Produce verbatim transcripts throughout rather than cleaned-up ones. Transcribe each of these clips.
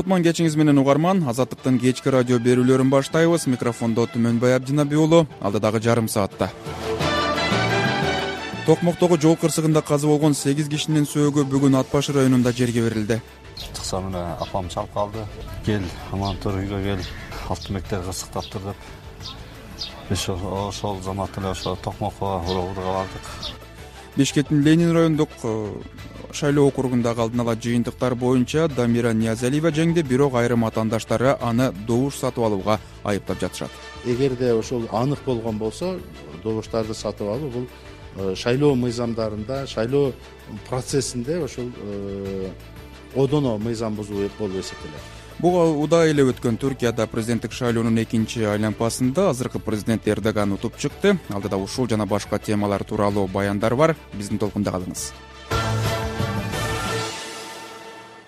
Кутман кечиңиз менен угарман. Азаттыктын кечки радио берүүлөрүн баштайбыз. Микрофондо Түмөнбай Абдинаби уулу. Алдыдагы жарым саатта Токмоктогу жол кырсыгында каза болгон сегиз кишинин сөөгү бүгүн Ат башы районунда жерге берилди. Чыкса менен апам чалып калды. Кел, аман тур үйгө кел. Автомектер кырсыктап тур деп. Биз ошол заматта эле ошо Токмокко урууга бардык. Бишкектин Ленин райондук шайлоо округундагы алдын ала жыйынтыктар боюнча Дамира Ниязалиева жеңди, бирок айрым атаандаштары аны добуш сатып алууга айыптап жатышат. Эгерде ошол анык болгон болсо, добуштарды сатып алуу бул шайлоо мыйзамдарында, шайлоо процессинде ошол одоно мыйзам бузуу болуп эсептелет. Буга удай эле өткөн Түркияда президенттик шайлоонун экинчи айланпасында азыркы президент Эрдоган утуп чыкты. Алдыда ушул жана башка темалар тууралуу баяндар бар. Биздин толкунда калыңыз.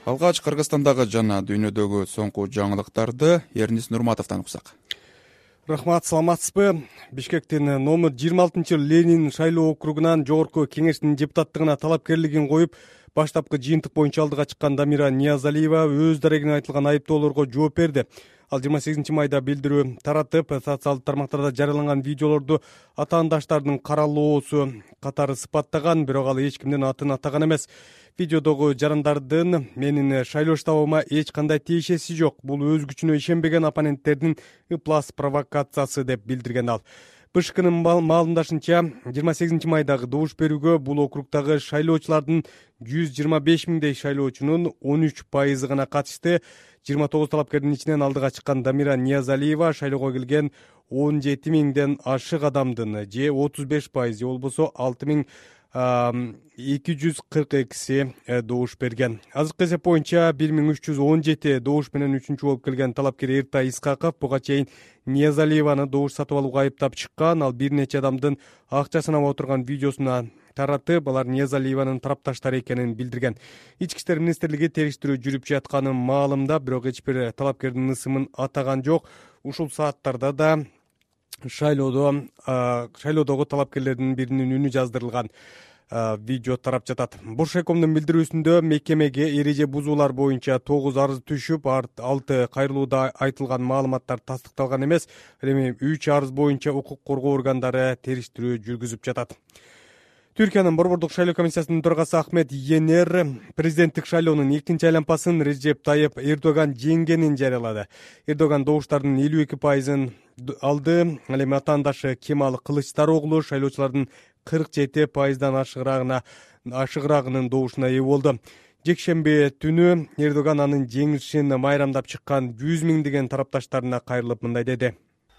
Алгач Кыргызстандагы жана дүйнөдөгү соңку жаңылыктарды Эрнис Нурматовдон уксак. Рахмат, саламатсызбы? Бишкектин номер жыйырма алтынчы Ленин шайлоо округунан жогорку кеңештин депутаттыгына талапкерлигин коюп, баштапкы жыйынтык боюнча алдыга чыккан Дамира Ниязалиева өз дарегине айтылган айыптоолорго жооп берди. Ал жыйырма сегизинчи майда билдирүү таратып, социалдык тармактарда жарыяланган видеолорду атаандаштардын каралоосу катары сыпаттаган, бирок ал эч кимдин атын атаган эмес. Видеодогу жарандардын менин шайлоо штабыма эч кандай тиешеси жок. Бул өз күчүнө ишенбеген оппоненттердин ыплас провокациясы деп билдирген ал. БШКнын маалымдашынча, жыйырма сегизинчи майдагы добуш берүүгө бул округдагы шайлоочулардын жүз жыйырма беш миңдей шайлоочунун он үч пайызы гана катышты. жыйырма тогуз талапкердин ичинен алдыга чыккан Дамира Ниязалиева шайлоого келген он жети миңден ашык адамдын же отуз беш пайыз, же болбосо алты миң эки жүз кырк экиси добуш берген. Азыркы эсеп боюнча бир миң үч жүз он жети добуш менен үчүнчү болуп келген талапкер Эртай Исхаков буга чейин Ниязалиеваны добуш сатып алууга айыптап чыккан. Ал бир нече адамдын акча санап отурган видеосуна таратып, алар Ниязалиеванын тарапташтары экенин билдирген. Ички иштер министрлиги териштирүү жүрүп жатканын маалымдап, бирок эч бир талапкердин ысымын атаган жок. Ушул сааттарда да шайлоодо шайлоодогу талапкерлердин биринин үнү жаздырылган видео тарап жатат. Бошекомдун билдирүүсүндө мекемеге эреже бузуулар боюнча тогуз арыз түшүп, алты кайрылууда айтылган маалыматтар тастыкталган эмес. Эми үч арыз боюнча укук коргоо органдары териштирүү жүргүзүп жатат. Түркиянын Борбордук шайлоо комиссиясынын төрагасы Ахмет Енер президенттик шайлоонун экинчи айланпасын Режеп Тайып Эрдоган жеңгенин жарыялады. Эрдоган добуштардын элүү эки пайызын алды. Ал эми атаандашы Кемал Кылычдароглу шайлоочулардын кырк жети пайыздан ашыгыраагына ашыгыраагынын добушуна ээ болду. Жекшемби түнү Эрдоган анын жеңишин майрамдап чыккан жүз миңдеген тарапташтарына кайрылып мындай деди.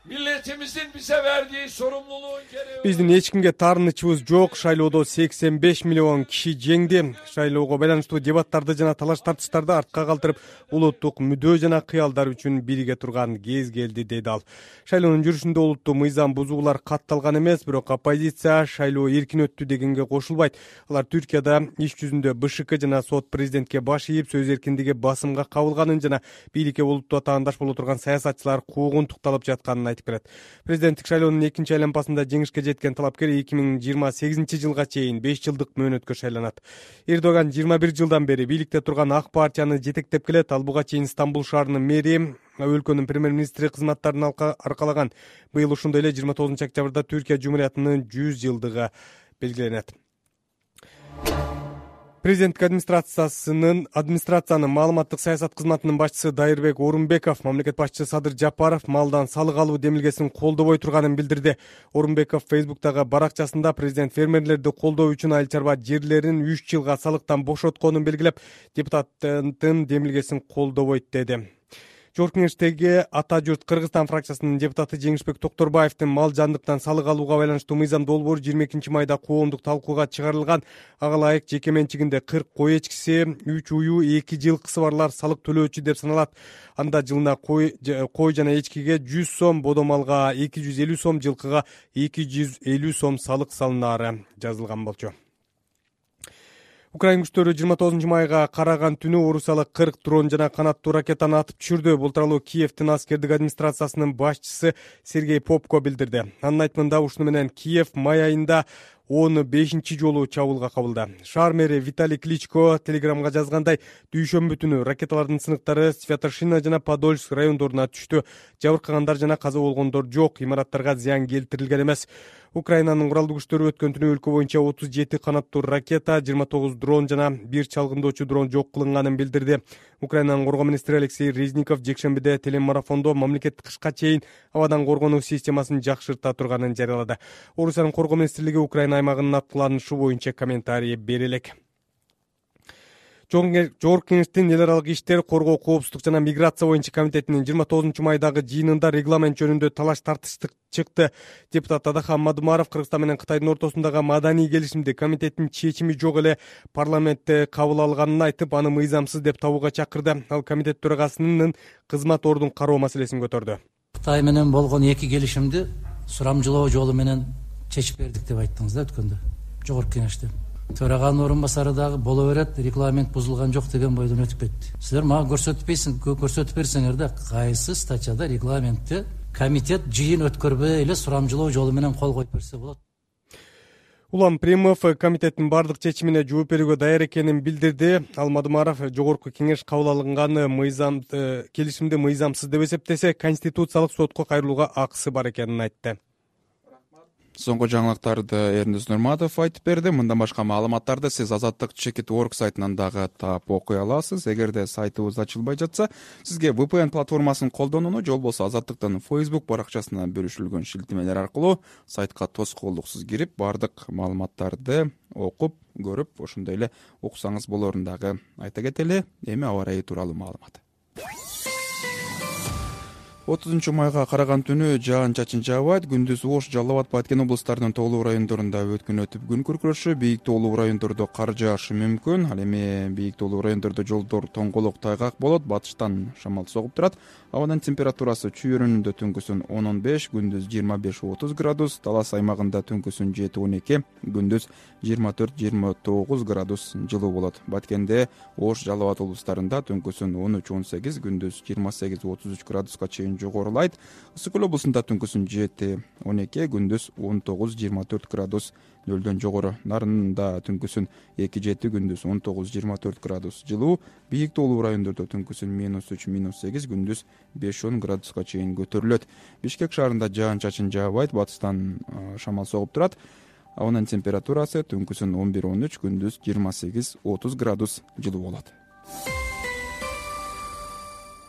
Milletimizin bize verdiği sorumluluğun gereği. Биздин эч кимге таарынычыбыз жок. Шайлоодо сексен беш миллион киши жеңди. Шайлоого байланыштуу дебаттарды жана талаш тартыштарды артка калтырып, улуттук мүдөө жана кыялдар үчүн бирге турган кез келди, деди ал. Шайлоонун жүрүшүндө улуттуу мыйзам бузуулар катталган эмес, бирок оппозиция шайлоо эркин өттү дегенге кошулбайт. Алар Түркияда иш жүзүндө БШК жана сот президентке баш ийип, сөз эркиндиги басымга кабылганын жана бийликке улуттуу атаандаш боло турган саясатчылар куугунтукталып жатканын айтып берет. Президенттик шайлоонун экинчи айланпасында жеңишке жеткен талапкер эки миң жыйырма сегизинчи жылга чейин беш жылдык мөөнөткө шайланат. Эрдоган жыйырма бир жылдан бери бийликте турган ак партияны жетектеп келет. Ал буга чейин Стамбул шаарынын мэри, өлкөнүн премьер-министри кызматтарын аркалаган. Быйыл ушундай эле жыйырма тогузунчу октябрда Түркия Жумуриятынын жүз жылдыгы белгиленет. Президенттик администрациясынын администрациянын маалыматтык саясат кызматынын башчысы Дайырбек Орунбеков мамлекет башчысы Садыр Жапаров малдан салык алуу демилгесин колдобой турганын билдирди. Орунбеков Фейсбуктагы баракчасында президент фермерлерди колдоо үчүн айыл чарба жерлерин үч жылга салыктан бошотконун белгилеп, депутаттын демилгесин колдобойт деди. Жогорку кеңештеги Ата журт Кыргызстан фракциясынын депутаты Жеңишбек Токторбаевдин мал жандыктан салык алууга байланыштуу мыйзам долбоору жыйырма экинчи майда коомдук талкууга чыгарылган. Ага ылайык жеке менчигинде кырк кой эчкиси, үч уюу, эки жылкысы барлар салык төлөөчү деп саналат. Анда жылына кой кой жана эчкиге жүз сом, бодо малга эки жүз элүү сом, жылкыга эки жүз элүү сом салык салынары жазылган болчу. Украин күчтөрү жыйырма тогузунчу майга караган түнү Орусиялык кырк дрон жана канаттуу ракетаны атып түшүрдү. Бул тууралуу Киевдин аскердик администрациясынын башчысы Сергей Попко билдирди. Анын айтымында ушуну менен Киев май айында он бешинчи жолу чабуулга кабылды. Шаар мэри Виталий Кличко телеграмга жазгандай, дүйшөмбү түнү ракеталардын сыныктары Святошина жана Подольск райондоруна түштү. Жабыркагандар жана каза болгондор жок, имараттарга зыян келтирилген эмес. Украинанын куралдуу күчтөрү өткөн түнү өлкө боюнча отуз жети канаттуу ракета, жыйырма тогуз дрон жана бир чалгындоочу дрон жок кылынганын билдирди. Украинанын коргоо министри Алексей Резников жекшембиде телемарафондо мамлекет кышка чейин абадан коргонуу системасын жакшырта турганын жарыялады. Орусиянын коргоо министрлиги Украина аймагынын аткыланышы боюнча комментарий бере элек. Жогорку Кеңештин эл аралык иштер, коргоо, коопсуздук жана миграция боюнча комитетинин жыйырма тогузунчу майдагы жыйынында регламент жөнүндө талаш тартыштык чыкты. Депутат Адахан Мадумаров Кыргызстан менен Кытайдын ортосундагы маданий келишимди комитеттин чечими жок эле парламентте кабыл алганын айтып, аны мыйзамсыз деп табууга чакырды. Ал комитет төрагасынын кызмат ордун кароо маселесин көтөрдү. Кытай менен болгон эки келишимди сурамжылоо жолу менен чечип бердик деп айттыңыз да өткөндө Жогорку Кеңеште. Төраганын орун басары дагы боло берет, регламент бузулган жок деген бойдон өтүп кетти. Силер мага көрсөтпөйсүң, көрсөтүп берсеңер да, кайсы статьяда регламентте комитет жыйын өткөрбөй эле сурамжылоо жолу менен кол коюп берсе болот. Улам Примов комитеттин бардык чечимине жооп берүүгө даяр экенин билдирди. Ал Мадумаров Жогорку Кеңеш кабыл алынган мыйзам келишимди мыйзамсыз деп эсептесе, Конституциялык сотко кайрылууга акысы бар экенин айтты. Соңку жаңылыктарды Эрнис Нурматов айтып берди. Мындан башка маалыматтарды сиз Азаттык чекит точка орг сайтынан дагы таап окуй аласыз. Эгерде сайтыбыз ачылбай жатса, сизге ви пи эн платформасын колдонууну, жол болсо Азаттыктын Facebook баракчасына бөлүшүлгөн шилтемелер аркылуу сайтка тоскоолдуксуз кирип, бардык маалыматтарды окуп, көрүп, ошондой эле уксаңыз болорун дагы айта кетели. Эми аба ырайы тууралуу маалымат. отузунчу майга караган түнү жаан-чачын жаабайт, күндүз Ош, Жалал Абад, Баткен облустарынын тоолуу райондорунда өткүн өтүп күн күркүрөшү, бийик тоолуу райондордо кар жаашы мүмкүн. Ал эми бийик тоолуу райондордо жолдор тоңголок, тайгак болот, батыштан шамал согуп турат. Абанын температурасы чүйөрүнүндө түнкүсүн он он беш, күндүз жыйырма беш отуз градус, Талас аймагында түнкүсүн жети он эки, күндүз жыйырма төрт жыйырма тогуз градус жылуу болот. Баткенде, Ош, Жалал Абад облустарында түнкүсүн он үч он сегиз, күндүз жыйырма сегиз отуз үч градуска чейин жогорулайт. Ысык көл облусунда түнкүсүн жети он эки, күндүз он тогуз жыйырма төрт градус нөлдөн жогору. Нарында түнкүсүн эки жети, күндүз он тогуз жыйырма төрт градус жылуу. Бийик тоолуу райондордо түнкүсүн минус үч минус сегиз, күндүз беш он градуска чейин көтөрүлөт. Бишкек шаарында жаан-чачын жаабайт, батыштан шамал согуп турат. Абанын температурасы түнкүсүн он бир он үч, күндүз жыйырма сегиз отуз градус жылуу болот.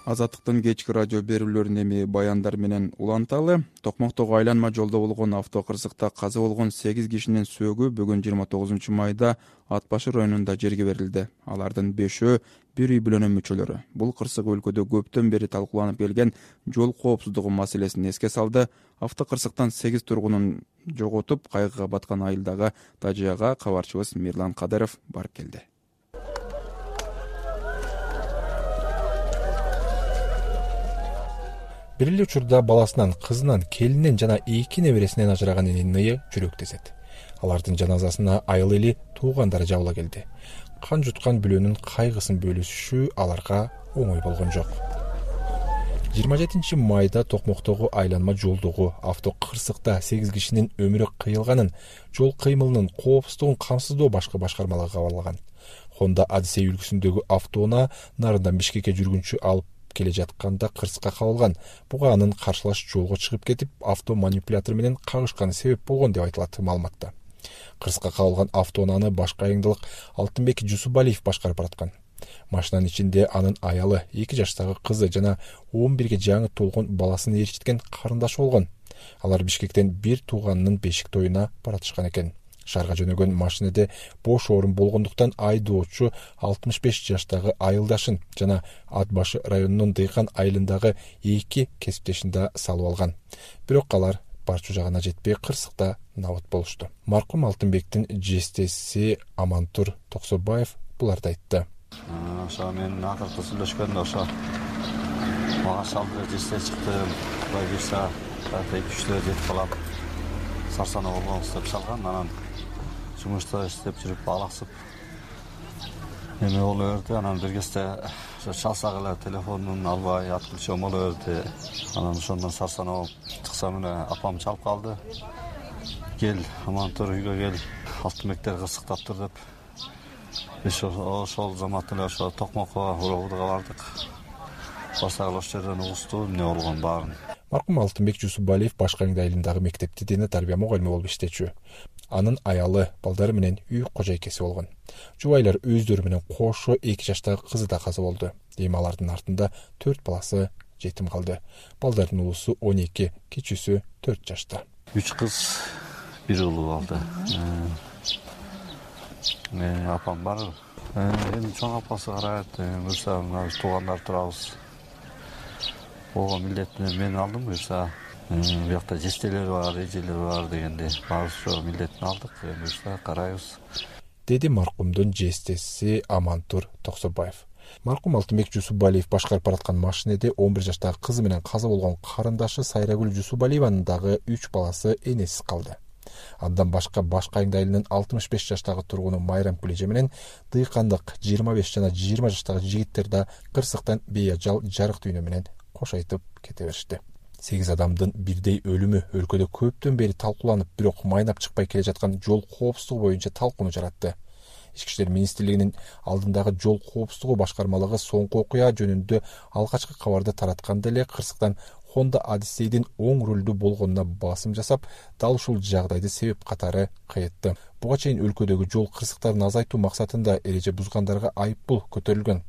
Азаттыктын кечки радио берүүлөрүн эми баяндар менен уланталы. Токмоктогу айланма жолдо болгон автокырсыкта каза болгон сегиз кишинин сөөгү бүгүн жыйырма тогузунчу майда Ат башы районунда жерге берилди. Алардын бешөө бир үй бүлөнүн мүчөлөрү. Бул кырсык өлкөдө көптөн бери талкууланып келген жол коопсуздугу маселесин эске салды. Автокырсыктан сегиз тургунун жоготуп, кайгыга баткан айылдагы тажыяга кабарчыбыз Мирлан Кадыров барып келди. Бир эле учурда баласынан, кызынан, келинен жана эки небересинен ажыраган эненин ыя жүрөктесет. Алардын жаназасына айыл эли, туугандары жабыла келди. Кан жуткан бүлөнүн кайгысын бөлүшүшү аларга оңой болгон жок. жыйырма жетинчи майда Токмоктогу айланма жолдогу автокырсыкта сегиз кишинин өмүрү кыйылганын, жол кыймылынын коопсуздугун камсыздоо башкы башкармалыгы кабарлаган. Honda Одиссей үлгүсүндөгү автоунаа нарындан Бишкекке жүргүнчү алып келе жатканда кырсыкка кабылган. Буга анын каршылаш жолго чыгып кетип, авто манипулятор менен кагышканы себеп болгон деп айтылат маалыматта. Кырсыкка кабылган автоунааны башкы айыңдылык Алтынбек Жусупалиев башкарып бараткан. Машинанын ичинде анын аялы, эки жаштагы кызы жана он бирге жаңы толгон баласын ээрчиткен карындашы болгон. Алар Бишкектен бир тууганынын бешик тоюна баратышкан экен. Шаарга жөнөгөн машинеде бош орун болгондуктан айдоочу алтымыш беш жаштагы айылдашын жана Ат башы районунун Дыйкан айылындагы эки кесиптешин да салып алган. Бирок алар барчу жагына жетпей кырсыкта набат болушту. Маркум Алтынбектин жестеси Амантур Токсобаев буларды айтты. Ошо мен акыркы сүйлөшкөндө ошо мага салды, жесте чыктым. Кудай буйрса, эки үчтө жетип калам. Сарсана болгонбуз деп салган, анан жумушта иштеп жүрүп алаксып эме боло берди. Анан бир кезде ошо чалсак эле телефонун албай отключен боло берди. Анан ошондон сарсана болуп чыксам эле апам чалып калды. кел амантур үйгө кел, алтынбектер кырсыктаптыр деп биз ошол замат эле ошо Токмокко уробудга бардык. Басагыл ошол жерден угушту эмне болгон баарын. Маркум Алтынбек Жусупбалиев Башкаңды айылындагы мектепте дене тарбия мугалими болуп иштечү. Анын аялы, балдары менен үй кожойкеси болгон. Жубайлар өздөрү менен кошо эки жаштагы кызы да каза болду. Эми алардын артында төрт баласы жетим калды. Балдардын улусу он эки, кичүүсү төрт жашта. Үч кыз, бир улуу калды. Э, апам бар. Эми чоң апасы карайт, буюрса туугандар турабыз. Ого милдетин мен алдым, буюрса биякта жестелер бар, эжелер бар дегенде баарыбыз ошо милдетин алдык, буюрса карайбыз. Деди маркумдун жестеси Амантур Токсобаев. Маркум Алтынбек Жусупбалиев башкарып бараткан машинеде он бир жаштагы кызы менен каза болгон карындашы Сайрагүл Жусупбалиеванын дагы үч баласы энесиз калды. Андан башка Башкаңды айылынын алтымыш беш жаштагы тургуну Майрам Кулеже менен дыйкандык жыйырма беш жана жыйырма жаштагы жигиттер да кырсыктан бейажал жарык дүйнө менен кош айтып кете беришти. сегиз адамдын бирдей өлүмү өлкөдө көптөн бери талкууланып, бирок майнап чыкпай келе жаткан жол коопсуздугу боюнча талкууну жаратты. Ички иштер министрлигинин алдындагы жол коопсуздугу башкармалыгы соңку окуя жөнүндө алгачкы кабарды таратканда эле кырсыктан Honda Odyssey'дин оң рулдуу болгонуна басым жасап, дал ушул жагдайды себеп катары кыйтты. Буга чейин өлкөдөгү жол кырсыктарын азайтуу максатында эреже бузгандарга айыппул көтөрүлгөн.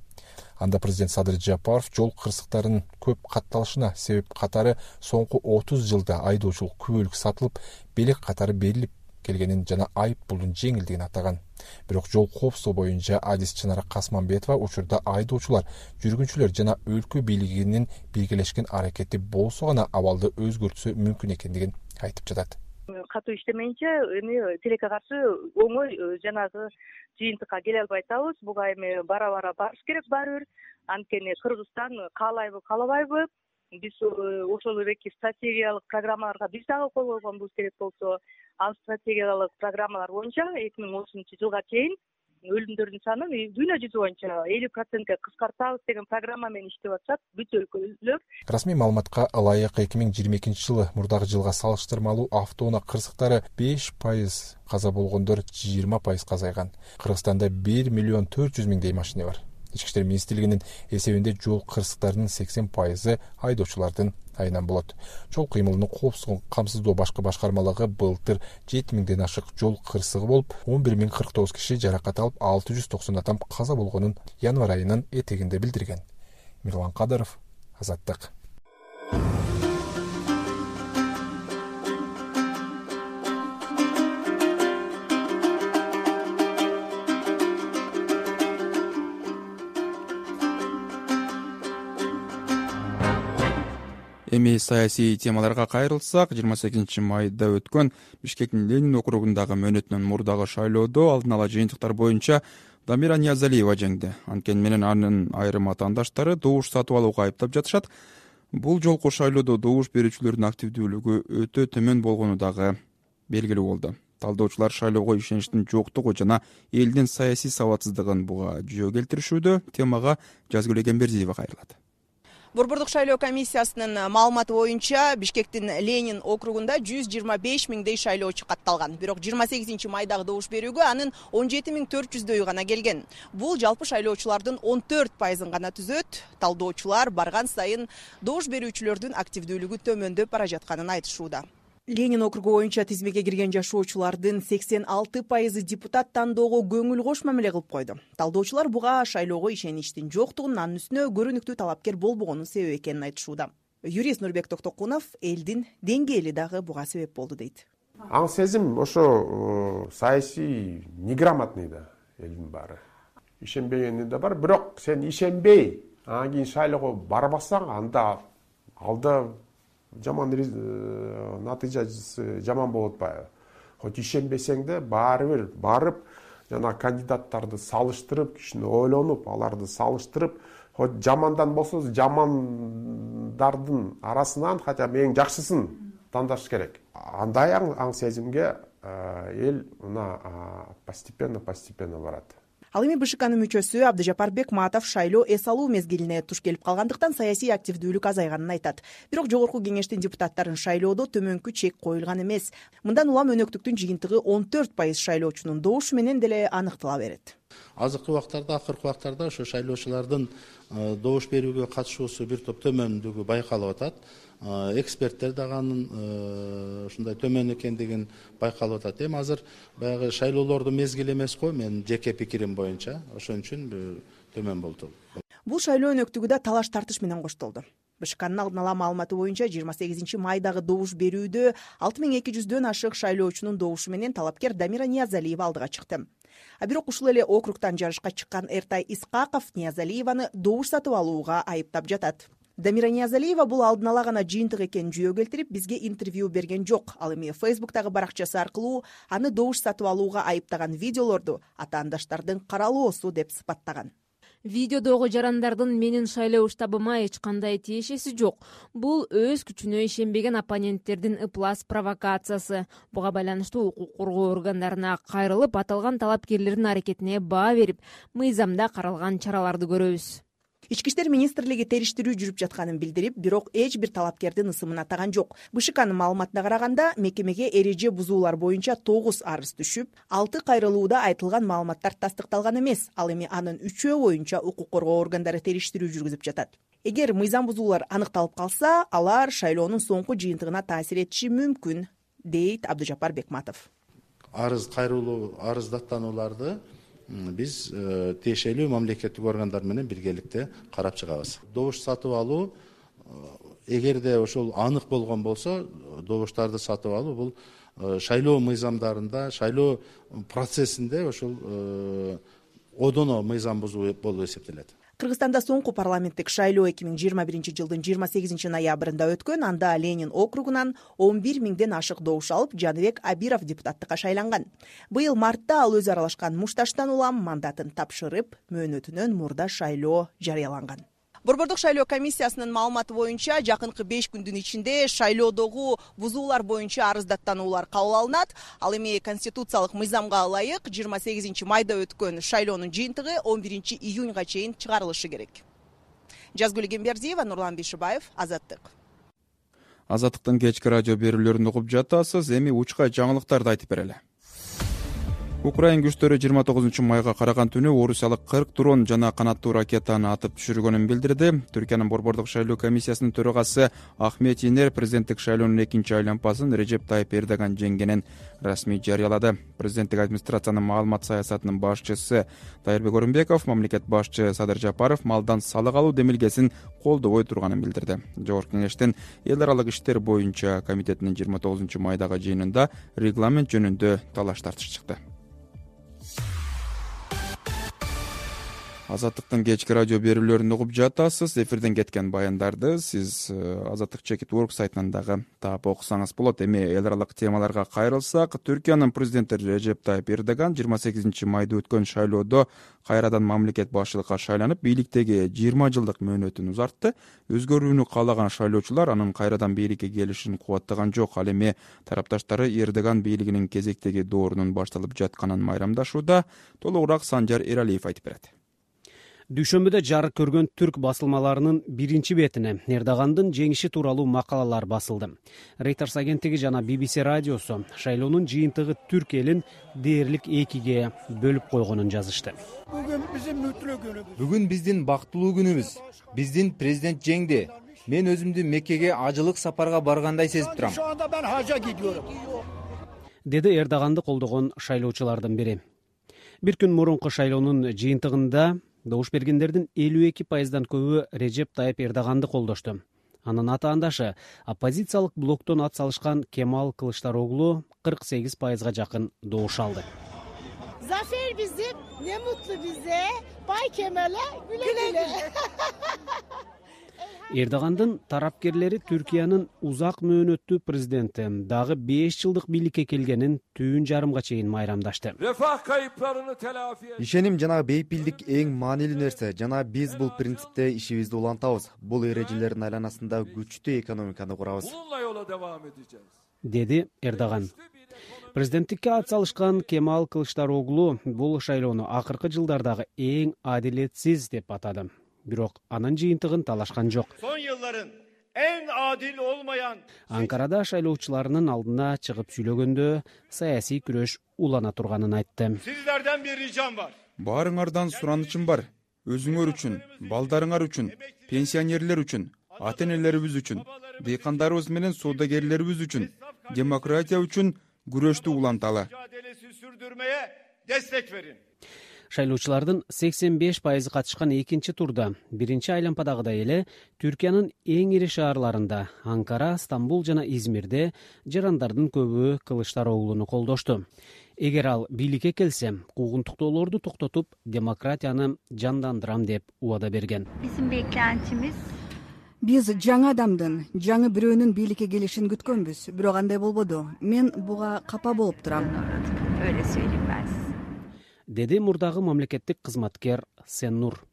Анда президент Садыр Жапаров жол кырсыктарынын көп катталышына себеп катары соңку отуз жылда айдоочулук күбөлүк сатылып, белек катары берилип келгенин жана айыппулдун жеңилдигин атаган. Бирок жол коопсуздугу боюнча Адис Чынара Касманбетова учурда айдоочулар, жүргүнчүлөр жана өлкө бийлигинин биргелешкен аракети болсо гана абалды өзгөртүшү мүмкүн экендигин айтып жатат. Катуу иштемейинче эми тилекке каршы оңой жанагы жыйынтыкка келе албай атабыз. Буга эми бара-бара барыш керек баары бир. Анткени Кыргызстан каалайбы, каалабайбы? Биз ошол эки стратегиялык программаларга биз дагы кол койгонбуз керек болсо, ал стратегиялык программалар боюнча эки миң отузунчу жылга чейин өлүмдөрдүн санын дүйнө жүзү боюнча элүү процентке кыскартабыз деген программа менен иштеп атышат бүт өлкөлөр. Расмий маалыматка ылайык эки миң жыйырма экинчи жылы мурдагы жылга салыштырмалуу автоунаа кырсыктары беш пайыз, каза болгондор жыйырма пайыз азайган. Кыргызстанда бир миллион төрт жүз миңдей машина бар. Ички иштер министрлигинин эсебинде жол кырсыктарынын сексен пайызы айдоочулардын айынан болот. Жол кыймылынын коопсуздугун камсыздоо башкы башкармалыгы былтыр жети миңден ашык жол кырсыгы болуп, он бир миң кырк тогуз киши жаракат алып, алты жүз токсон адам каза болгонун январь айынын этегинде билдирген. Мирлан Кадыров, Азаттык. Эми саясий темаларга кайрылсак, жыйырма сегизинчи майда өткөн Бишкектин Ленин округундагы мөөнөтүнөн мурдагы шайлоодо алдын ала жыйынтыктар боюнча Дамира Ниязалиева жеңди. Анткени менен анын айрым атаандаштары добуш сатып алууга айыптап жатышат. Бул жолку шайлоодо добуш берүүчүлөрдүн активдүүлүгү өтө төмөн болгону дагы белгилүү болду. Талдоочулар шайлоого ишеничтин жоктугу жана элдин саясий сабатсыздыгын буга жөө келтиришүүдө. Темага Жазгүл Эгембердиева кайрылат. Борбордук шайлоо комиссиясынын маалыматы боюнча Бишкектин Ленин округунда жүз жыйырма беш миңдей шайлоочу катталган. Бирок жыйырма сегизинчи майдагы добуш берүүгө анын он жети миң төрт жүздөйү гана келген. Бул жалпы шайлоочулардын он төрт пайызын гана түзөт. Талдоочулар барган сайын добуш берүүчүлөрдүн активдүүлүгү төмөндөп бара жатканын айтышууда. Ленин округу боюнча тизмеге кирген жашоочулардын сексен алты пайызы депутат тандоого көңүл кош мамиле кылып койду. Талдоочулар буга шайлоого ишеничтин жоктугун, анын үстүнө көрүнүктүү талапкер болбогонун себеп экенин айтышууда. Юрист Нурбек Токтокунов элдин деңгээли дагы буга себеп болду дейт. Аң сезим ошо саясий неграмотный да элдин баары. Ишенбегени да бар, бирок сен ишенбей, анан кийин шайлоого барбасаң, анда алда жаман натыйжасы жаман болуп атпайбы? Хоть ишенбесең да баары бир барып, жана кандидаттарды салыштырып, кишини ойлонуп, аларды салыштырып, хоть жамандан болсо жамандардын арасынан хотя бы эң жакшысын тандаш керек. Андай аң сезимге эл мына постепенно постепенно барат. Ал эми БШКнын мүчөсү Абдыжапар Бекматов шайлоо эс алуу мезгилине туш келип калгандыктан саясий активдүүлүк азайганын айтат. Бирок жогорку кеңештин депутаттарын шайлоодо төмөнкү чек коюлган эмес. Мындан улам өнөктүктүн жыйынтыгы он төрт пайыз шайлоочунун добушу менен деле аныктала берет. Азыркы убактарда, акыркы убактарда ошо шайлоочулардын добуш берүүгө катышуусу бир топ төмөндүгү байкалып атат. Эксперттер дагы анын ушундай төмөн экендигин байкалып атат. Эми азыр баягы шайлоолордун мезгили эмес го, менин жеке пикирим боюнча, ошон үчүн төмөн болду. Бул шайлоо өнөктүгү да талаш тартыш менен коштолду. БШКнын алдын ала маалыматы боюнча жыйырма сегизинчи майдагы добуш берүүдө алты миң эки жүздөн ашык шайлоочунун добушу менен талапкер Дамира Ниязалиева алдыга чыкты. А бирок ушул эле округтан жарышка чыккан Эртай Исқақов Ниязалиеваны добуш сатып алууга айыптап жатат. Дамира Ниязалиева бул алдын ала гана жыйынтык экенин жүйө келтирип, бизге интервью берген жок. Ал эми Фейсбуктагы баракчасы аркылуу аны добуш сатып алууга айыптаган видеолорду атаандаштардын каралоосу деп сыпаттаган. Видеодогу жарандардын менин шайлоо штабыма эч кандай тиешеси жок. Бул өз күчүнө ишенбеген оппоненттердин ыплас провокациясы. Буга байланыштуу укук коргоо органдарына кайрылып, аталган талапкерлердин аракетине баа берип, мыйзамда каралган чараларды көрөбүз. Ички иштер министрлиги териштирүү жүрүп жатканын билдирип, бирок эч бир талапкердин ысымын атаган жок. БШКнын маалыматына караганда, мекемеге эреже бузуулар боюнча тогуз арыз түшүп, алты кайрылууда айтылган маалыматтар тастыкталган эмес. Ал эми анын үчөө боюнча укук коргоо органдары териштирүү жүргүзүп жатат. Эгер мыйзам бузуулар аныкталып калса, алар шайлоонун соңку жыйынтыгына таасир этиши мүмкүн, дейт Абдыжапар Бекматов. Арыз кайрылуу, арыздаттанууларды биз тиешелүү мамлекеттик органдар менен биргеликте карап чыгабыз. Добуш сатып алуу, эгерде ошол анык болгон болсо, добуштарды сатып алуу бул шайлоо мыйзамдарында, шайлоо процессинде ошол одоно мыйзам бузуу болуп эсептелет. Кыргызстанда соңку парламенттик шайлоо эки миң жыйырма биринчи жылдын жыйырма сегизинчи ноябрында өткөн. Анда Ленин округунан он бир миңден ашык добуш алып, Жаныбек Абиров депутаттыкка шайланган. Быйыл мартта ал өзү аралашкан Мушташтан улам мандатын тапшырып, мөөнөтүнөн мурда шайлоо жарыяланган. Борбордук шайлоо комиссиясынын маалыматы боюнча жакынкы беш күндүн ичинде шайлоодогу бузуулар боюнча арыздаттануулар кабыл алынат. Ал эми конституциялык мыйзамга ылайык жыйырма сегизинчи майда өткөн шайлоонун жыйынтыгы он биринчи июньга чейин чыгарылышы керек. Жазгүл Гембердиева, Нурлан Бишибаев, Азаттык. Азаттыктын кечки радио берүүлөрүн угуп жатасыз. Эми учка жаңылыктарды айтып берели. Украин күчтөрү жыйырма тогузунчу майга караган түнү орусиялык кырк дрон жана канаттуу ракетаны атып түшүргөнүн билдирди. Түркиянын борбордук шайлоо комиссиясынын төрагасы Ахмет Инер президенттик шайлоонун экинчи айланпасын Режеп Тайып Эрдоган жеңгенин расмий жарыялады. Президенттик администрациянын маалымат саясатынын башчысы Дайырбек Орунбеков мамлекет башчы Садыр Жапаров малдан салык алуу демилгесин колдобой турганын билдирди. Жогорку кеңештин эл аралык иштер боюнча комитетинин жыйырма тогузунчу майдагы жыйынында регламент жөнүндө талаш тартыш чыкты. Азаттыктын кечки радио берүүлөрүн угуп жатасыз. Эфирден кеткен баяндарды сиз Азаттык чекит орг сайтынан дагы таап окусаңыз болот. Эми эл аралык темаларга кайрылсак, Түркиянын президенти Режеп Тайып Эрдоган жыйырма сегизинчи майда өткөн шайлоодо кайрадан мамлекет башчылыкка шайланып, бийликтеги жыйырма жылдык мөөнөтүн узартты. Өзгөрүүнү каалаган шайлоочулар анын кайрадан бийликке келишин кубаттаган жок. Ал эми тарапташтары Эрдоган бийлигинин кезектеги доорунун башталып жатканын майрамдашууда. Толугураак Санжар Эралиев айтып берет. Дүйшөмбүдө жарык көргөн түрк басылмаларынын биринчи бетине Эрдогандын жеңиши тууралуу макалалар басылды. Reuters агенттиги жана би би си радиосу шайлоонун жыйынтыгы түрк элин дээрлик экиге бөлүп койгонун жазышты. Бүгүн биздин мүтлүү күнүбүз. Бүгүн биздин бактылуу күнүбүз. Биздин президент жеңди. Мен өзүмдү Меккеге ажылык сапарга баргандай сезип турам. Şu anda ben hacca gidiyorum. Деди Эрдоганды колдогон шайлоочулардын бири. Бир күн мурунку шайлоонун жыйынтыгында добуш бергендердин элүү эки пайыздан көбү Режеп Тайып Эрдоганды колдошту. Анын атаандашы оппозициялык блоктон ат салышкан Кемал Кылычдароглу кырк сегиз пайызга жакын добуш алды. Zafer bizim, ne mutlu bize. Bay Kemal'e güle güle. Эрдогандын тарапкерлери Түркиянын узак мөөнөттүү президенти дагы беш жылдык бийликке келгенин түн жарымга чейин майрамдашты. Refah kayıplarını telafi et. Ишеним жана бейпилдик эң маанилүү нерсе жана биз бул принципте ишибизди улантабыз. Бул эрежелердин айланасында күчтүү экономиканы курабыз. Bununla yola devam edeceğiz. Деди Эрдоган. Президенттикке ат салышкан Кемал Кылычдароглу бул шайлоону акыркы жылдардагы эң адилетсиз деп атады. Бирок анын жыйынтыгын талашкан жок. Son yılların en adil olmayan Анкарада шайлоочуларынын алдына чыгып сүйлөгөндө саясий күрөш улана турганын айтты. sizlerden bir ricam var. Баарыңардан суранычым бар. Өзүңөр үчүн, балдарыңар үчүн, пенсионерлер үчүн, ата энелерибиз үчүн, дыйкандарыбыз менен соодагерлерибиz үчүн, демократия үчүн күрөштү уланталы. Mücadelesi sürdürmeye destek verin. Шайлоочулардын сексен беш пайызы катышкан экинчи турда биринчи айлампадагыдай эле Түркиянын эң ири шаарларында Анкара, Стамбул жана Измирде жарандардын көбү Кылычдароглуну колдошту. Эгер ал бийликке келсе, куугунтуктоолорду токтотуп, демократияны жандандырам деп убада берген. Bizim beklentimiz Биз жаңы адамдын, жаңы бирөөнүн бийликке келишин күткөнбүз, бирок андай болбоду. Мен буга капа болуп турам. öyle söyleyeyim ben size. Деди мурдагы мамлекеттик кызматкер Сеннур.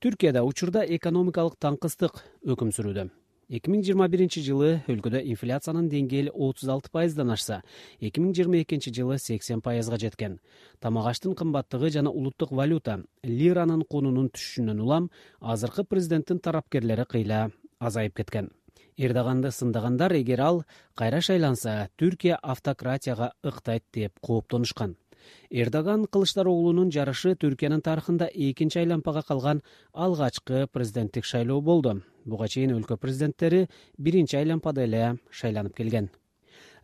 Түркияда учурда экономикалык таңкыстык өкүм сүрүүдө. эки миң жыйырма биринчи жылы өлкөдө инфляциянын деңгээли отуз алты пайыздан ашса, эки миң жыйырма экинчи жылы сексен пайызга жеткен. Тамак аштын кымбаттыгы жана улуттук валюта лиранын кунунун түшүшүнөн улам азыркы президенттин тарапкерлери кыйла азайып кеткен. Эрдоганды сындагандар эгер ал кайра шайланса, Түркия автократияга ыктайт деп кооптонушкан. Эрдоган Кылычдароглунун жарышы Түркиянын тарыхында экинчи айлампага калган алгачкы президенттик шайлоо болду. Буга чейин өлкө президенттери биринчи айлампада эле шайланып келген.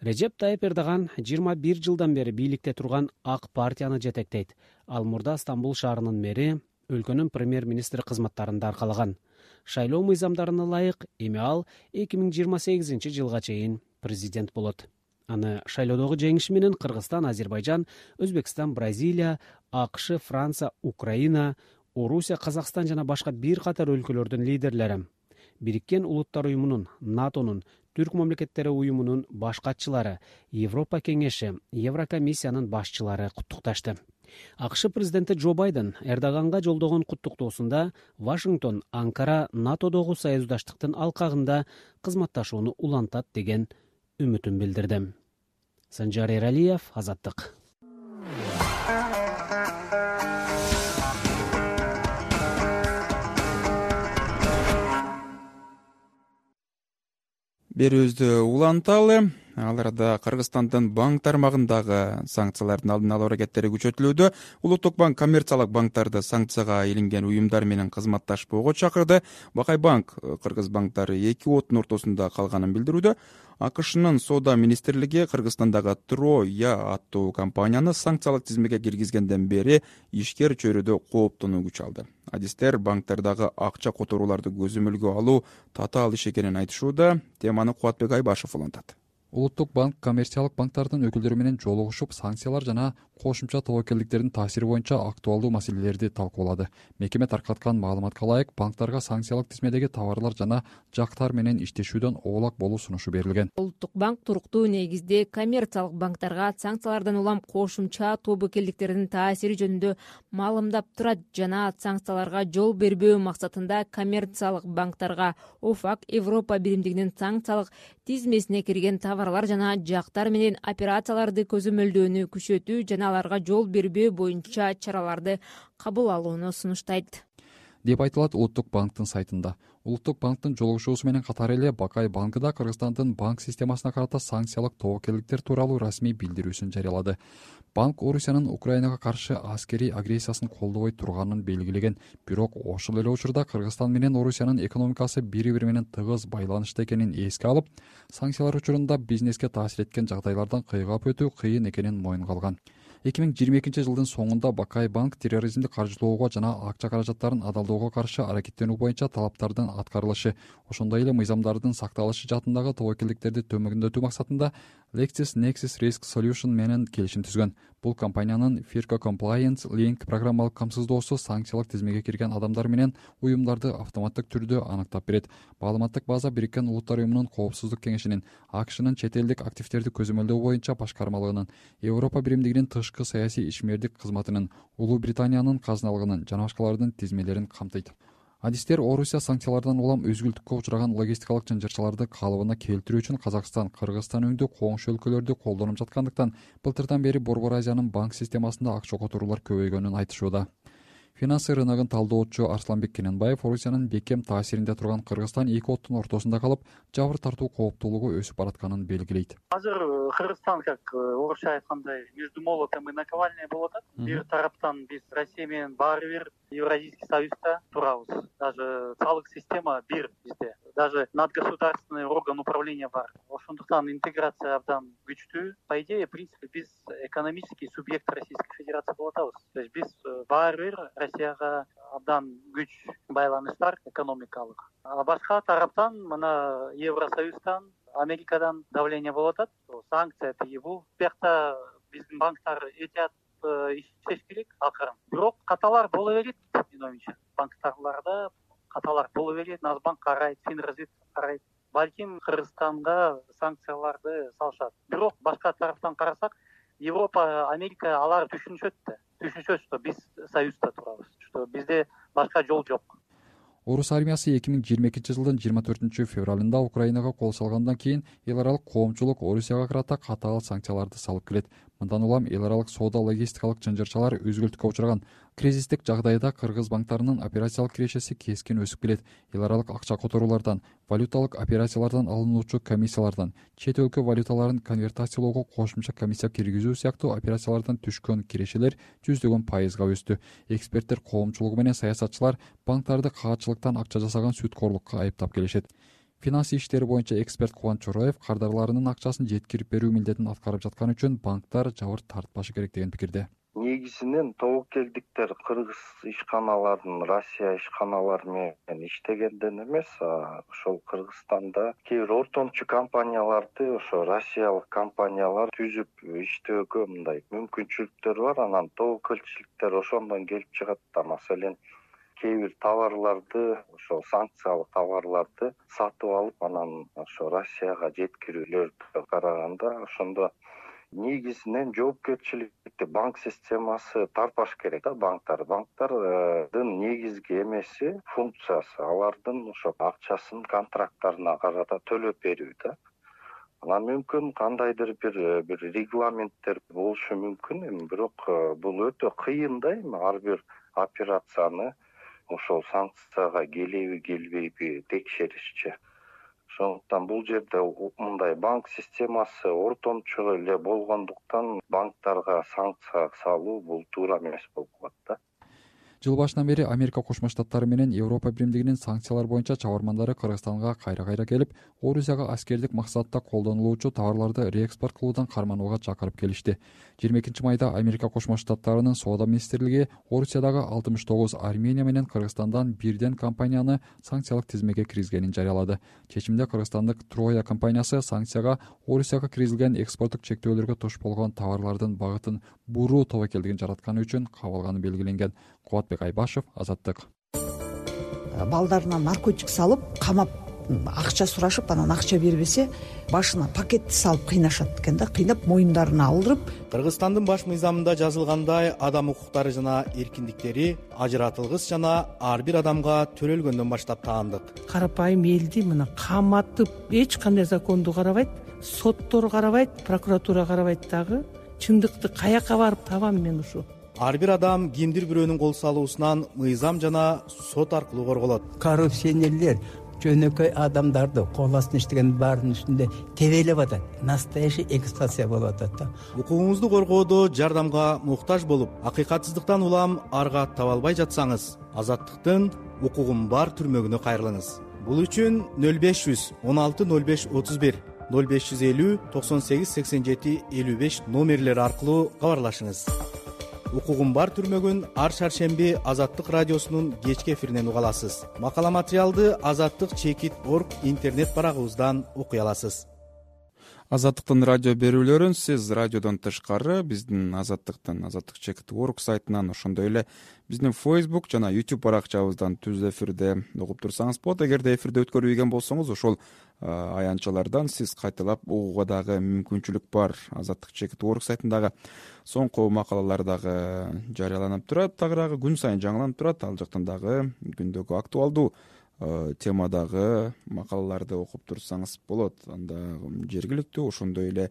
Режеп Тайып Эрдоган жыйырма бир жылдан бери бийликте турган Ак партияны жетектейт. Ал мурда Стамбул шаарынын мэри, өлкөнүн премьер-министри кызматтарында аркалаган. Шайлоо мыйзамдарына ылайык эми ал эки миң жыйырма сегизинчи жылга чейин президент болот. Аны шайлоодогу жеңиши менен Кыргызстан, Азербайжан, Өзбекстан, Бразилия, АКШ, Франция, Украина, Орусия, Казакстан жана башка бир катар өлкөлөрдүн лидерлери, Бириккен Улуттар уюмунун, НАТОнун, Түрк мамлекеттери уюмунун башкатчылары, Европа кеңеши, Еврокомиссиянын башчылары куттукташты. АКШ президенти Джо Байден Эрдоганга жолдогон куттуктоосунда Вашингтон Анкара НАТОдогу союздаштыктын алкагында кызматташууну улантат деген үмүтүн билдирди. Санжар Эралиев, Азаттык. Берүүбүздү уланталы. Ал арада Кыргызстандын банк тармагындагы санкциялардын алдын алуу аракеттери күчөтүлүүдө. Улуттук банк коммерциялык банктарды санкцияга илинген уюмдар менен кызматташпоого чакырды. Бакай банк кыргыз банктары эки оттун ортосунда калганын билдирүүдө. АКШнын соода министрлиги Кыргызстандагы Троя аттуу компанияны санкциялык тизмеге киргизгенден бери ишкер чөйрөдө кооптонуу күч алды. Адистер банктардагы акча которууларды көзөмөлгө алуу татаал иш экенин айтышууда. Теманы Кубатбек Айбашев улантат. Улуттук банк коммерциялык банктардын өкүлдөрү менен жолугушуп, санкциялар жана кошумча тобокелдиктердин таасири боюнча актуалдуу маселелерди талкуулады. Мекеме таркаткан маалыматка ылайык, банктарга санкциялык тизмедеги товарлар жана жактар менен иштешүүдөн оолак болуу сунушу берилген. Улуттук банк туруктуу негизде коммерциялык банктарга санкциялардан улам кошумча тобокелдиктердин таасири жөнүндө маалымдап турат жана санкцияларга жол бербөө максатында коммерциялык банктарга ОФАК Европа биримдигинин санкциялык тизмесине кирген товарлар жана жактар менен операцияларды көзөмөлдөөнү күчөтүү жана аларга жол бербөө боюнча чараларды кабыл алууну сунуштайт деп айтылат Улуттук банктын сайтында. Улуттук банктын жолугушуусу менен катар эле Бакай банкы да Кыргызстандын банк системасына карата санкциялык тобокелдиктер тууралуу расмий билдирүүсүн жарыялады. Банк Орусиянын Украинага каршы аскерий агрессиясын колдобой турганын белгилеген, бирок ошол эле учурда Кыргызстан менен Орусиянын экономикасы бири-бири менен тыгыз байланышта экенин эске алып, санкциялар учурунда бизнеске таасир эткен жагдайлардан кыйгап өтүү кыйын экенин моюнга алган. эки миң жыйырма экинчи жылдын соңунда Бакай банк терроризмди каржылоого жана акча каражаттарын адалдоого каршы аракеттенүү боюнча талаптардын аткарылышы, ошондой эле мыйзамдардын сакталышы жаатындагы тобокелдиктерди төмөндөтүү максатында LexisNexis Risk Solution менен келишим түзгөн. Бул компаниянын Firco Compliance Link программалык камсыздоосу санкциялык тизмеге кирген адамдар менен уюмдарды автоматтык түрдө аныктап берет. Маалыматтык база Бириккен Улуттар уюмунун коопсуздук кеңешинин, АКШнын чет элдик активдерди көзөмөлдөө боюнча башкармалыгынын, Европа биримдигинин тышкы саясий ишмердик кызматынын, Улуу Британиянын казыналыгынын жана башкалардын тизмелерин камтыйт. адистер орусия санкциялардан улам өзгүлтүккө учураган логистикалык жынжырчыларды калыбына келтирүү үчүн Казакстан, Кыргызстан өңдүү коңшу өлкөлөрдү колдонуп жаткандыктан былтырдан бери Борбор Азиянын банк системасында акча которуулар көбөйгөнүн айтышууда. Финансы рыногун талдоочу Арсланбек Кененбаев Орусиянын бекем таасиринде турган Кыргызстан эки оттун ортосунда калып, жабыр тартуу кооптуулугу өсүп баратканын белгилейт. Азыр Кыргызстан, как орусча айткандай, между молотом и наковальней болуп атат. Бир тараптан биз Россия менен баары бир Евразийский союзда турабыз. Даже салык система бир бизде. Даже надгосударственный орган управления бар. Ошондуктан интеграция абдан күчтүү. По идее, в принципе, биз экономический субъект Российской Федерации болуп атабыз. То есть биз баары бир Россияга абдан күч байланыштар экономикалык. А башка тараптан мына Евросоюздан, Америкадан давление болуп атат. Санкция тыйылуу. Биякта биздин банктар этият иштеш керек акырын. Бирок каталар боло берет, менин оюмча. Банктарларда каталар боло берет, Нацбанк карайт, Финразведка карайт. Балким Кыргызстанга санкцияларды салышат. Бирок башка тараптан карасак, Европа, Америка алар түшүнүшөт да. Түшүнүшөт, что биз союзда турабыз, что бизде башка жол жок. Орус армиясы эки миң жыйырма экинчи жылдын жыйырма төртүнчү февралында Украинага кол салгандан кийин эл аралык коомчулук Орусияга карата катаал санкцияларды салып келет. Мындан улам эл аралык соода логистикалык жынжырчалар өзгүлтүккө учураган. Кризистик жагдайда кыргыз банктарынын операциялык кирешеси кескин өсүп келет. Эл аралык акча которуулардан, валюталык операциялардан алынуучу комиссиялардан, чет өлкө валюталарын конвертациялоого кошумча комиссия киргизүү сыяктуу операциялардан түшкөн кирешелер жүздөгөн пайызга өстү. Эксперттер коомчулугу менен саясатчылар банктарды каатчылыктан акча жасаган сүткорлукка айыптап келишет. Финансы иштери боюнча эксперт Кубанч Чороев кардарларынын акчасын жеткирип берүү милдетин аткарып жатканы үчүн банктар жабыр тартпашы керек деген пикирде. Негизинен тобокелдиктер кыргыз ишканаларын Россия ишканалары менен иштегенден эмес, ошол Кыргызстанда кээ бир ортомчу компанияларды ошо россиялык компаниялар түзүп иштөөгө мындай мүмкүнчүлүктөр бар. Анан тобокелчиликтер ошондон келип чыгат да. Маселен, кээ бир товарларды, ошо санкциялык товарларды сатып алып, анан ошо Россияга жеткирүүлөргө караганда ошондо негизинен жоопкерчиликти банк системасы тартпаш керек да. Банктар банктардын негизги эмеси, функциясы алардын ошо акчасын контракттарына карата төлөп берүү да. Анан мүмкүн кандайдыр бир бир регламенттер болушу мүмкүн, эми бирок бул өтө кыйын да. Эми ар бир операцияны ошол санкцияга келеби келбейби текшеришчи. Ошондуктан бул жерде мындай банк системасы ортомчу эле болгондуктан банктарга санкция салуу бул туура эмес болуп калат да. Жыл башынан бери Америка Кошмо Штаттары менен Европа Биримдигинин санкциялар боюнча чабармандары Кыргызстанга кайра-кайра келип, Орусияга аскердик максатта колдонулуучу товарларды реэкспорт кылуудан карманууга чакырып келишти. жыйырма экинчи майда Америка Кошмо Штаттарынын соода министрлиги Орусиядагы алтымыш тогуз Армения менен Кыргызстандан бирден компанияны санкциялык тизмеге киргизгенин жарыялады. Чечимде кыргызстандык Троя компаниясы санкцияга Орусияга киргизилген экспорттук чектөөлөргө туш болгон товарлардын багытын буруу тобокелдигин жаратканы үчүн кабылганы белгиленген. Кубатбек Айбашев, Азаттык. Балдарына наркотик салып, камап, акча сурашып, анан акча бербесе, башына пакетти салып кыйнашат экен да, кыйнап моюндарына алдырып. Кыргызстандын баш мыйзамында жазылгандай, адам укуктары жана эркиндиктери ажыратылгыс жана ар бир адамга төрөлгөндөн баштап таандык. Карапайым элди мына каматып, эч кандай законду карабайт, соттор карабайт, прокуратура карабайт дагы. Чындыкты каяка барып табам мен ушу? Ар бир адам кимдир бирөөнүн кол салуусунан мыйзам жана сот аркылуу корголот. Коррупционерлер жөнөкөй адамдарды кол астына иштеген баарынын үстүндө тебелеп атат. Настоящий эксплуатация болуп атат да. Укугуңузду коргоодо жардамга муктаж болуп, акыйкатсыздыктан улам арга таба албай жатсаңыз, Азаттыктын укугум бар түрмөгүнө кайрылыңыз. Бул үчүн нөл беш жүз он алты нөл беш отуз бир, нөл беш жүз элүү токсон сегиз сексен жети элүү беш номерлери аркылуу кабарлашыңыз. Укугум бар түрмөгүн ар шаршемби Азаттык радиосунун кечки эфиринен уга аласыз. Макала материалды азаттык чекит точка орг интернет барагыбыздан окуй аласыз. азаттыктын радио берүүлөрүн сиз радиодон тышкары биздин азаттыктын азаттык чекит орг сайтынан, ошондой эле биздин Facebook жана YouTube баракчабыздан түз эфирде угуп турсаңыз болот. Эгерде эфирде өткөрүлгөн болсоңуз, ошол аянтчалардан сиз кайталап угууга дагы мүмкүнчүлүк бар. Азаттык чекит орг сайтындагы соңку макалалар дагы жарыяланып турат, дагы күн сайын жаңыланып турат. Ал жактан дагы күндөгү актуалдуу темадагы макалаларды окуп турсаңыз болот. Анда жергиликтүү, ошондой эле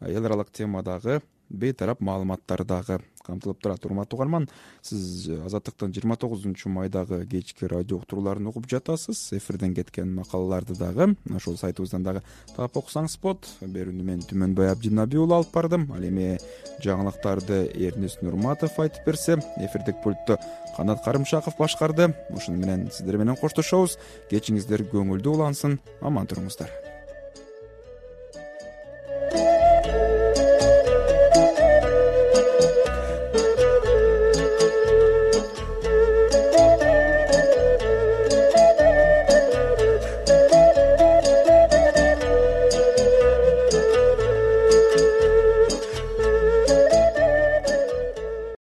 эл аралык темадагы бейтарап маалыматтар дагы камтылып турат. Урматтуу угарман, сиз Азаттыктын жыйырма тогузунчу майдагы кечки радио уктурууларын угуп жатасыз. Эфирден кеткен макалаларды дагы ошол сайтыбыздан дагы таап окусаңыз болот. Берүүнү мен Түмөнбай Абдинабий уулу алып бардым. Ал эми жаңылыктарды Эрнис Нурматов айтып берсе, эфирдик пультту Канат Карымшаков башкарды. Ошону менен сиздер менен коштошобуз. Кечиңиздер көңүлдүү улансын. Аман туруңуздар.